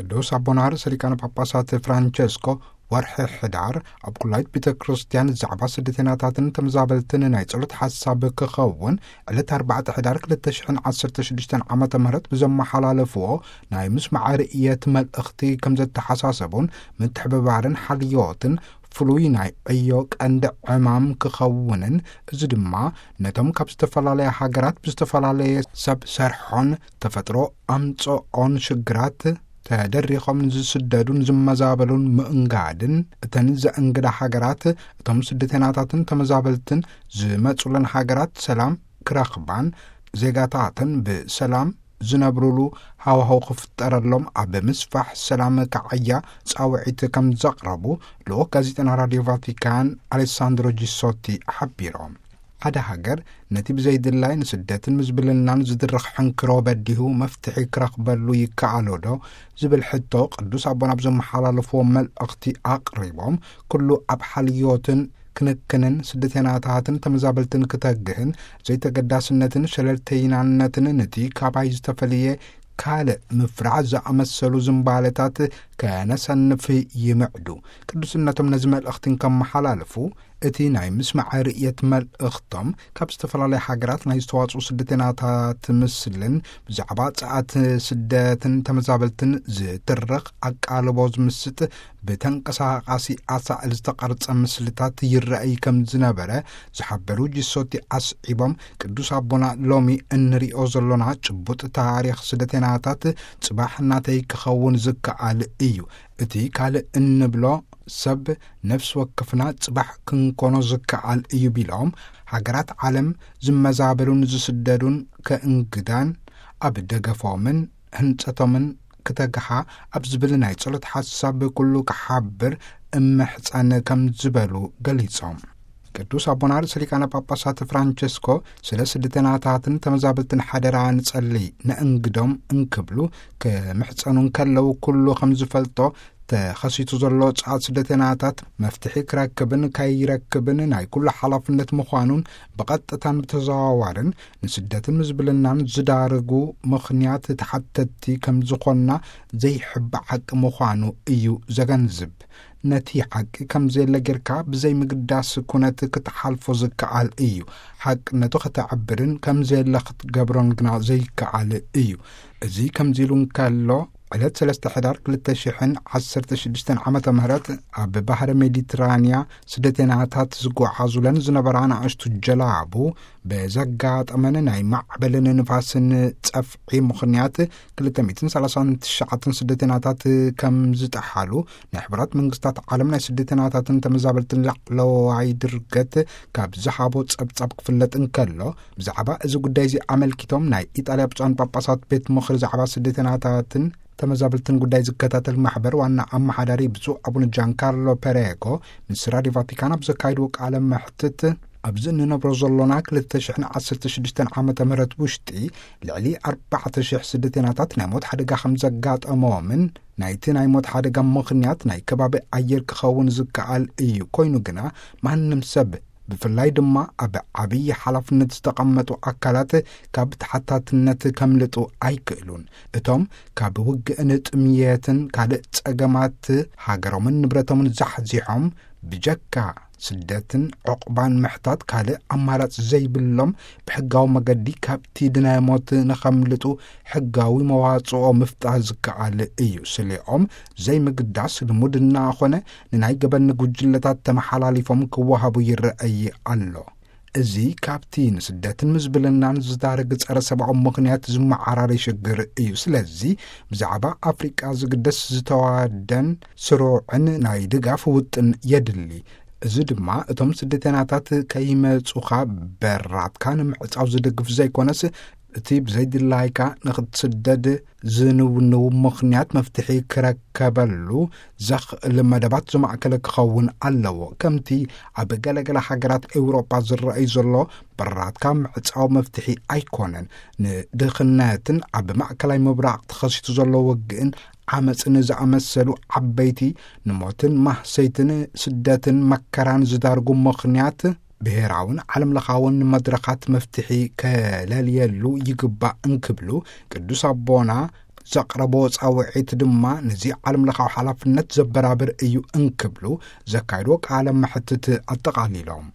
ቅዱስ ኣቦና ርእሰ ሊቃነ ጳጳሳት ፍራንቸስኮ ወርሒ ሕዳር ኣብ ኩላይት ቤተ ክርስቲያን ዛዕባ ስደተናታትን ተመዛበልትን ናይ ጸሎት ሓሳብ ክኸውን፣ ዕለት ኣርባዕተ ሕዳር ክልተ ሽሕን ዓሰርተ ሽዱሽተን ዓመተ ምህረት ብዘመሓላለፍዎ ናይ ምስማዕ ርእየት መልእኽቲ ከም ዘተሓሳሰቡን ምትሕብባርን ሓልዮትን ፍሉይ ናይ ዕዮ ቀንዲ ዕማም ክኸውንን፣ እዚ ድማ ነቶም ካብ ዝተፈላለያ ሃገራት ብዝተፈላለየ ሰብ ሰርሖን ተፈጥሮ ኣምጽኦን ሽግራት ተደሪኾም ዝስደዱን ዝመዛበሉን ምእንጋድን፣ እተን ዘእንግዳ ሃገራት እቶም ስደተናታትን ተመዛበልትን ዝመጹለን ሃገራት ሰላም ክረኽባን ዜጋታተን ብሰላም ዝነብሩሉ ሃዋህው ክፍጠረሎም ኣብ ምስፋሕ ሰላም ክዓያ ጻውዒት ከም ዘቕረቡ ልኡኽ ጋዜጠና ራድዮ ቫቲካን ኣሌሳንድሮ ጂሶቲ ሓቢሮም። ሓደ ሃገር ነቲ ብዘይድላይ ንስደትን ምዝብልናን ዝድርኽ ሕንክሮ በዲሁ መፍትሒ ክረኽበሉ ይከኣሎ ዶ ዝብል ሕቶ ቅዱስ ኣቦና ኣብ ዘመሓላለፍዎ መልእኽቲ ኣቕሪቦም፣ ኩሉ ኣብ ሓልዮትን ክንክንን ስደተናታትን ተመዛበልትን ክተግህን ዘይተገዳስነትን ሸለልተይናነትን ነቲ ካባይ ዝተፈልየ ካልእ ምፍራዕ ዝኣመሰሉ ዝንባለታት ከነሰንፍ ይምዕዱ። ቅዱስነቶም ነዚ መልእኽቲ እንከመሓላልፉ፣ እቲ ናይ ምስማዕ ርእየት መልእኽቶም ካብ ዝተፈላለያ ሃገራት ናይ ዝተዋጽኡ ስደተናታት ምስልን ብዛዕባ ጸኣት ስደትን ተመዛበልትን ዝትርኽ ኣቃልቦ ዝምስጥ ብተንቀሳቓሲ ኣሳእል ዝተቐርጸ ምስልታት ይረኣይ ከም ዝነበረ ዝሓበሩ ጂሶቲ ኣስዒቦም፣ ቅዱስ ኣቦና ሎሚ እንሪኦ ዘሎና ጭቡጥ ታሪኽ ስደተናታት ጽባሕ ናተይ ክኸውን ዝከኣል እዩ። እቲ ካልእ እንብሎ ሰብ ነፍሲ ወከፍና ጽባሕ ክንኮኖ ዝከኣል እዩ ቢሎም፣ ሃገራት ዓለም ዝመዛበሉን ዝስደዱን ከእንግዳን ኣብ ደገፎምን ህንጸቶምን ክተግሃ ኣብ ዝብል ናይ ጸሎት ሓሳብ ኩሉ ክሓብር እምሕጸን ከም ዝበሉ ገሊጾም። ቅዱስ ኣቦና ርእሰ ሊቃነ ጳጳሳት ፍራንቸስኮ ስለ ስደተናታትን ተመዛበልትን ሓደራ ንጸሊ ነእንግዶም እንክብሉ ክምሕጸኑ እንከለዉ፣ ኩሉ ከም ዝፈልጦ ተኸሲቱ ዘሎ ጸዓት ስደተናታት መፍትሒ ክረክብን ከይረክብን ናይ ኩሉ ሓላፍነት ምዃኑን ብቐጥታን ብተዘዋዋርን ንስደትን ምዝብልናን ዝዳርጉ ምኽንያት ተሓተትቲ ከም ዝኾንና ዘይሕባእ ሓቂ ምዃኑ እዩ ዘገንዝብ። ነቲ ሓቂ ከም ዘየለ ጌርካ ብዘይ ምግዳስ ኩነት ክትሓልፎ ዝከኣል እዩ። ሓቅነቱ ከተዕብርን ከም ዘየለ ክትገብሮን ግና ዘይከኣል እዩ። እዚ ከምዚ ኢሉ እንከሎ፣ ዕለት ሰለስተ ሕዳር ክልተ ሽሕን ዓሰርተ ሽዱሽተን ዓመተ ምህረት ኣብ ባህሪ ሜዲትራንያ ስደተናታት ዝጓዓዙለን ዝነበራ ንኣሽቱ ጀላቡ ብዘጋጠመን ናይ ማዕበልን ንፋስን ጸፍዒ ምኽንያት ክልተ ሚእትን ሰላሳን ትሽዓተን ስደተናታት ከም ዝጠሓሉ ናይ ሕቡራት መንግስታት ዓለም ናይ ስደተናታትን ተመዛበልትን ላዕለዋይ ድርገት ካብ ዝሃቦ ጸብጻብ ክፍለጥ እንከሎ፣ ብዛዕባ እዚ ጉዳይ እዚ ኣመልኪቶም ናይ ኢጣልያ ብፁዓን ጳጳሳት ቤት ምኽሪ ዛዕባ ስደተናታትን ተመዛበልትን ጉዳይ ዝከታተል ማሕበር ዋና ኣመሓዳሪ ብፁዕ ኣቡነ ጃንካርሎ ፔሬጎ ምስ ራድዮ ቫቲካን ኣብ ዘካይድዎ ቃለ መሕትት፣ ኣብዚ እንነብሮ ዘሎና ክልተ ሽሕን ዓሰርተ ሽዱሽተን ዓመተ ምህረት ውሽጢ ልዕሊ ኣርባዕተ ሽሕ ስደተናታት ናይ ሞት ሓደጋ ከም ዘጋጠሞምን ናይቲ ናይ ሞት ሓደጋ ምኽንያት ናይ ከባቢ ኣየር ክኸውን ዝከኣል እዩ። ኮይኑ ግና ማንም ሰብ፣ ብፍላይ ድማ ኣብ ዓብዪ ሓላፍነት ዝተቐመጡ ኣካላት ካብ ተሓታትነት ከምልጡ ኣይክእሉን። እቶም ካብ ውግእን ጥምየትን ካልእ ጸገማት ሃገሮምን ንብረቶምን ዛሕዚሖም ብጀካ ስደትን ዕቑባን ምሕታት ካልእ ኣማራጺ ዘይብሎም፣ ብሕጋዊ መገዲ ካብቲ ድነ ሞት ንኸምልጡ ሕጋዊ መዋጽኦ ምፍጣር ዝከኣል እዩ። ስሌኦም ዘይምግዳስ ልሙድ እናኾነ ንናይ ገበን ጉጅለታት ተመሓላሊፎም ክወሃቡ ይረኣይ ኣሎ። እዚ ካብቲ ንስደትን ምዝብልናን ዝዳርግ ጸረ ሰብኣዊ ምኽንያት ዝመዓራሪ ሽግር እዩ። ስለዚ ብዛዕባ ኣፍሪቃ ዝግደስ ዝተዋደን ስሩዕን ናይ ድጋፍ ውጥን የድሊ። እዚ ድማ እቶም ስደተናታት ከይመጹኻ በራትካ ንምዕጻው ዝድግፍ ዘይኮነስ፣ እቲ ብዘይድላይካ ንኽትስደድ ዝንውንው ምኽንያት መፍትሒ ክረከበሉ ዘኽእል መደባት ዝማእከለ ክኸውን ኣለዎ። ከምቲ ኣብ ገለገለ ሃገራት ኤውሮጳ ዝረኣይ ዘሎ በራትካ ምዕጻው መፍትሒ ኣይኮነን። ንድኽነትን ኣብ ማእከላይ ምብራቕ ተኸሲቱ ዘሎ ውግእን ዓመጽን ዝኣመሰሉ ዓበይቲ ንሞትን ማህሰይትን ስደትን መከራን ዝዳርጉ ምኽንያት ብሄራውን ዓለም ለኻውን መድረኻት መፍትሒ ከለልየሉ ይግባእ እንክብሉ ቅዱስ ኣቦና ዘቕረቦ ጻውዒት ድማ ነዚ ዓለም ለኻዊ ሓላፍነት ዘበራብር እዩ እንክብሉ ዘካይድዎ ቃለ መሕትት ኣጠቓሊሎም።